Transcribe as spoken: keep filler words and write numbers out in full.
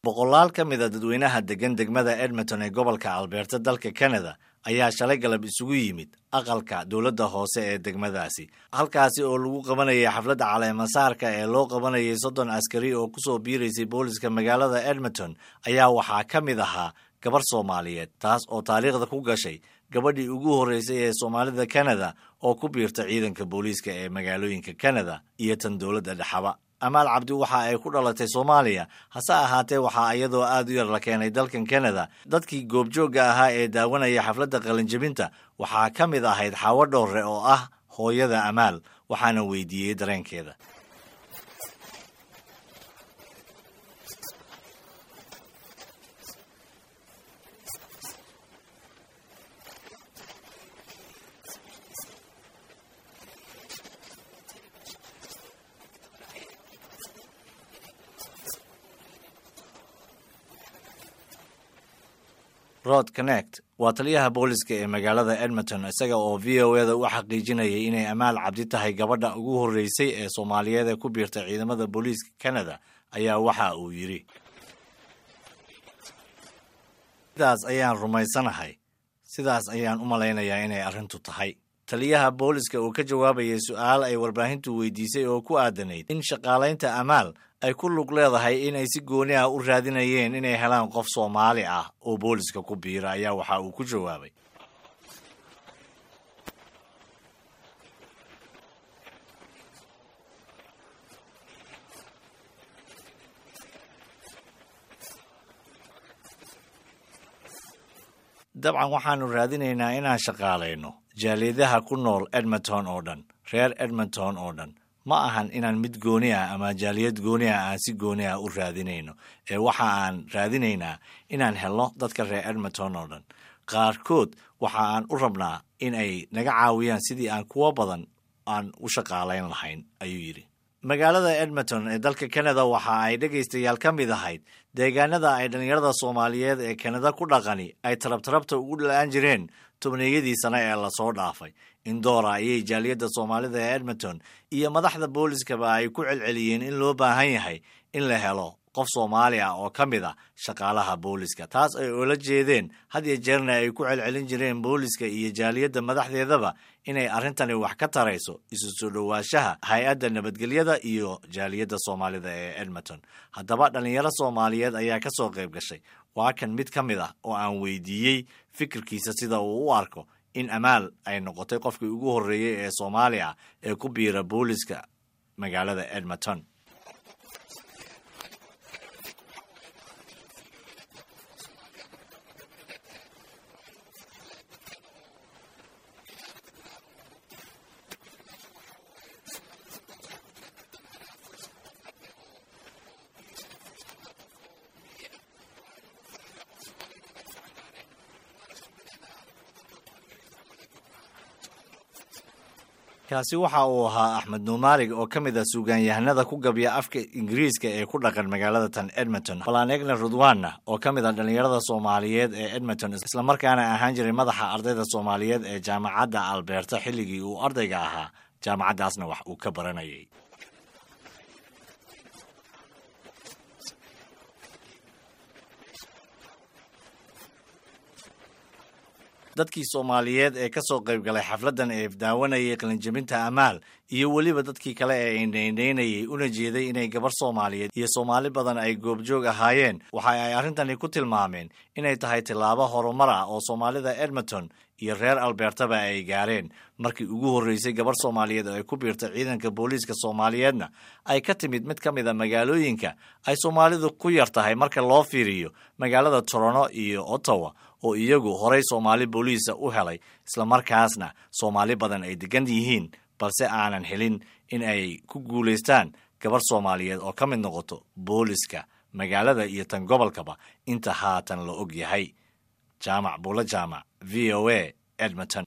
Boqolaal ka mid a dadweynaha deggan degmada Edmonton ee gobolka Alberta dalka Canada ayaa shalay galab isugu yimid aqalka dowladda hoose ee degmadaasi, halkaasi oo lagu qabanayay xafladda caleemasaarka ee loo qabanayay soddon askari oo kusoo biiraysay booliska magaalada Edmonton. Ayaa waxaa ka mid ahaa gabar Soomaaliyeed, taas oo taariikhda ku gashay gabadhii ugu horreysay ee Soomaalida Canada oo ku biirta ciidanka booliiska ee magaalooyinka Canada iyo tan dowladda dhexaba. Amaal Cabdi waxa ay ku dhalatay Soomaaliya, hase ahaatee waxaa iyadoo aad u yar la keenay dalkan Canada. Dadkii goobjoogga ahaa ee daawanaya xafladda qalinjebinta waxaa ka mid ahayd Xaawo Dhoorre oo ah hooyada Amaal, waxaana weydiiyey dareenkeeda. Rod Connect waa taliyaha booliska ee magaalada Edmonton, isaga oo V O eda u xaqiijinayay inay Amaal Cabdi tahay gabadha ugu horreysay ee Soomaaliyeed ee ku biirta ciidamada booliiska Canada, ayaa waxa uu yidhi: "Sidaas ayaan rumaysanahay, sidaas ayaan u malaynayaa inay arrintu tahay." Taliyaha booliska oo ka jawaabayay su'aal ay warbaahintu weydiisay oo ku aadanayd in shaqaalaynta Amaal ay ku lug leedahay in ay si gooni ah u raadinayeen inay helaan qof Soomaali ah oo booliska ku biira, ayaa waxa uu ku jawaabay: "Dabcan waxaannu raadinaynaa inaan shaqaalayno jaaliyadaha ku nool Edmonton oo dhan, reer Edmonton oo dhan. Ma ahan inaan mid gooni ah ama jaaliyad gooni ah aan si gooni ah u raadinayno, ee waxa aan raadinaynaa inaan helno dadka reer Edmonton oo dhan. Qaarkood waxa aan u rabnaa in ay naga caawiyaan sidii aan kuwo badan aan u shaqaalayn lahayn," ayuu yidhi. Magaalada Edmonton ee dalka Canada waxa ay, dhegaystayaal, ka mid ahayd deegaanada ay dhallinyarada Soomaaliyeed ee Kanada ku dhaqani ay tarabtarabta ugu dhala'aan jireen tobneeyadii sane ee lasoo dhaafay. Indoora ayay jaaliyadda Soomaalida ee Edmonton iyo madaxda booliskaba ay ku celceliyeen in loo baahan yahay in la helo qof Soomaali ah oo ka mid ah shaqaalaha booliska, taas ay oola jeedeen had iyo jeerna ay ku celcelin jireen booliska iyo jaaliyadda madaxdeedaba inay arrintani wax ka tarayso isu soo dhowaanshaha hay-adda nabadgelyada iyo jaaliyadda Soomaalida ee Edmonton. Haddaba dhallinyaro Soomaaliyeed ayaa ka soo qayb gashay. Waa kan mid ka mid ah oo aan weydiiyey fikirkiisa sida uu u arko in Amaal ay noqotay qofkii ugu horreeyey ee Soomaali ah ee ku biira booliska magaalada Edmonton. Kaasi waxa uu ahaa Axmed Nuumaalig oo ka mid ah suugaanyahanada ku gabya afka Ingiriiska ee ku dhaqan magaalada tan Edmonton. Balanegna Rudwanna oo ka mid ah dhallinyarada Soomaaliyeed ee Edmonton, islamarkaana ahaan jiray madaxa ardayda Soomaaliyeed ee jaamacadda Alberta xilligii uu ardayga ahaa, jaamacaddaasna wax uu ka baranayay. Dadkii Soomaaliyeed ee ka soo qayb galay xafladdan ee daawanayay qalinjebinta Amaal iyo weliba dadkii kale ee indhaindhaynayay una jeeday inay gabar Soomaaliyeed iyo Soomaali badan ay goobjoog ahaayeen, waxa ay arrintani ku tilmaameen inay tahay tillaabo horumar ah oo Soomaalida Edmonton iyo reer Albertaba ay gaareen markii ugu horreysay gabar Soomaaliyeed oo ay ku biirta ciidanka booliiska Soomaaliyeedna ay ka timid mid ka mid a magaalooyinka ay Soomaalidu ku yar tahay marka loo fiiriyo magaalada Toronto iyo Ottawa, oo iyagu horay Soomaali booliisa u helay, islamarkaasna Soomaali badan ay degan yihiin, balse aanan helin in ay ku guulaystaan gabar Soomaaliyeed oo ka mid noqoto booliska magaalada iyo tan gobolkaba inta haatan la og yahay. Jaamac Buulo Jaamac, V O A, Edmonton.